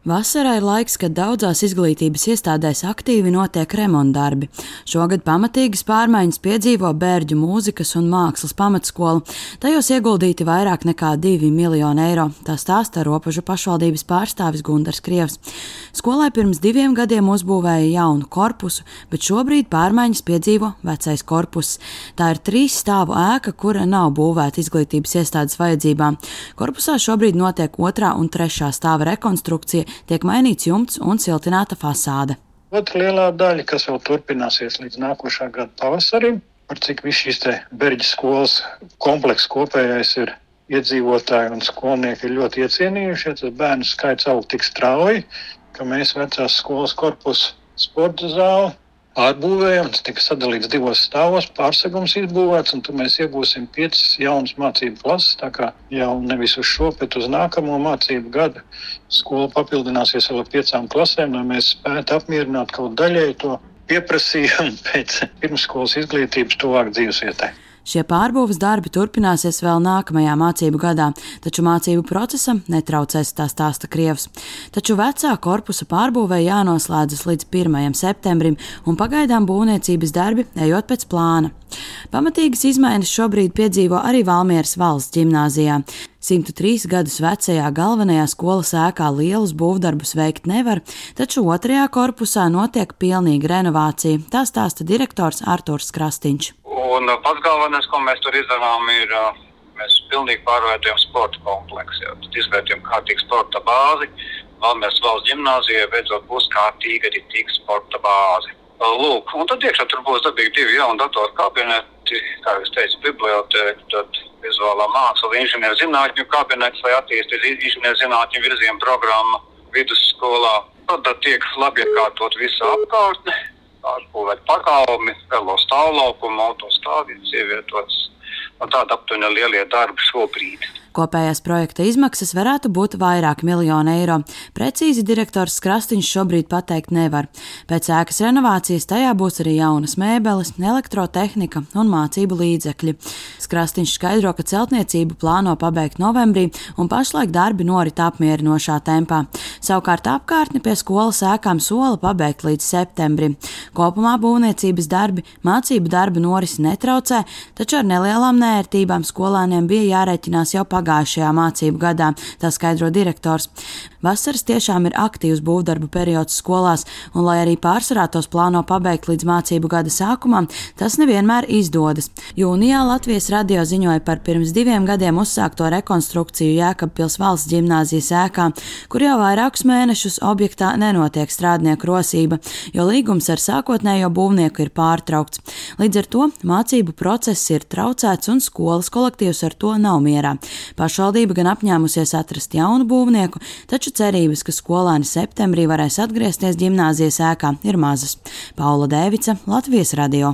Vasarā ir laiks, kad daudzās izglītības iestādēs aktīvi notiek remontdarbi. Šogad pamatīgas pārmaiņas piedzīvo Bērģu mūzikas un mākslas pamatskola. Tajos ieguldīti vairāk nekā 2 miljoni eiro, tā stāsta Ropažu pašvaldības pārstāvis Gundars Krievs. Skolai pirms 2 gadiem uzbūvēja jaunu korpusu, bet šobrīd pārmaiņas piedzīvo vecais korpuss. Tā ir 3 stāvu ēka, kura nav būvēta izglītības iestādes vajadzībām. Korpusā šobrīd notiek 2. un 3. stāva rekonstrukcija, tiek mainīts jumts un siltināta fasāde. Otra lielā daļa, kas vēl turpināsies līdz nākošā gada pavasarim, par cik viss šīs Bērģu skolas komplekss kopējais ir iedzīvotāji un skolnieki ir ļoti iecienījušies. Tas bērnu skaits aug tik strauji, ka mēs vecās skolas korpusu sporta zāli ārbūvējam. Tas tika sadalīts 2 stāvos, pārsegums izbūvēts, un tur mēs iegūsim 5 jaunas mācību klases. Tā kā jau nevis uz šo, bet uz nākamo mācību gadu skola papildināsies vēl ar 5 klasēm, lai mēs spētu apmierināt kaut daļēji to pieprasījumu pēc pirmsskolas izglītības tuvāk dzīvesvietai. Šie pārbūves darbi turpināsies vēl nākamajā mācību gadā, taču mācību procesam netraucēs, tā stāsta Krievs. Taču vecā korpusa pārbūvē jānoslēdzas līdz 1. septembrim, un pagaidām būvniecības darbi ejot pēc plāna. Pamatīgas izmaiņas šobrīd piedzīvo arī Valmieras valsts ģimnāzijā. 103 gadus vecajā galvenajā skolas ēkā lielus būvdarbus veikt nevar, taču 2. korpusā notiek pilnīga renovācija, tā stāsta direktors Arturs Krastīņš. Un pats galvenais, ko mēs tur izdarām, ir mēs pilnīgi pārvērtējam sporta kompleksu. Tad izvērtējam kārtīgu sporta bāzi. Valmieras valsts ģimnāzijai beidzot būs kārtīga sporta bāze. Lūk, un tad iekšā tur būs dabīgi 2 jauni datoru kabineti, kā es teicu, bibliotēka, tad vizuālā māksla, inženierzinātņu kabinets, lai attīstītu inženierzinātņu virzienu programmu vidusskolā. Tad tiek labi iekārtot visu apkārtni, pārbūvēt pagalmi, velo stāvlaukumu, autostāvvietas ievietotas. Tāda aptuveni lielie darbi šobrīd. Kopējās projekta izmaksas varētu būt vairāk miljonu eiro. Precīzi direktors Krastīņš šobrīd pateikt nevar. Pēc ēkas renovācijas tajā būs arī jaunas mēbeles, elektrotehnika un mācību līdzekļi. Krastīņš skaidro, ka celtniecību plāno pabeigt novembrī un pašlaik darbi norit apmierinošā tempā. Savukārt apkārtni pie skolas ēkām sola pabeigt līdz septembrim. Kopumā būvniecības darbi mācību darbu norisi netraucē, taču ar nelielām neērtībām skolēniem bija jārēķinās jau pagājušajā mācību gadā, tā skaidro direktors. Vasaras tiešām ir aktīvs būvdarbu periods skolās, un lai arī pārsvarā tos plāno pabeigt līdz mācību gada sākumam, tas nevienmēr izdodas. Jūnijā Latvijas radio ziņoja par pirms 2 gadiem uzsākto rekonstrukciju Jēkabpils valsts ģimnāzijas ēkā, kur jau vairākus mēnešus objektā nenotiek strādnieku rosība, jo līgums ar sākotnējo būvnieku ir pārtraukts. Līdz ar to mācību process ir traucēts un skolas kolektīvs ar to nav mierā. Pašvaldība gan apņēmusies atrast jaunu būvnieku, taču cerības, ka skolēni septembrī varēs atgriezties ģimnāzijas ēkā, ir mazas. Paula Dēvica, Latvijas radio.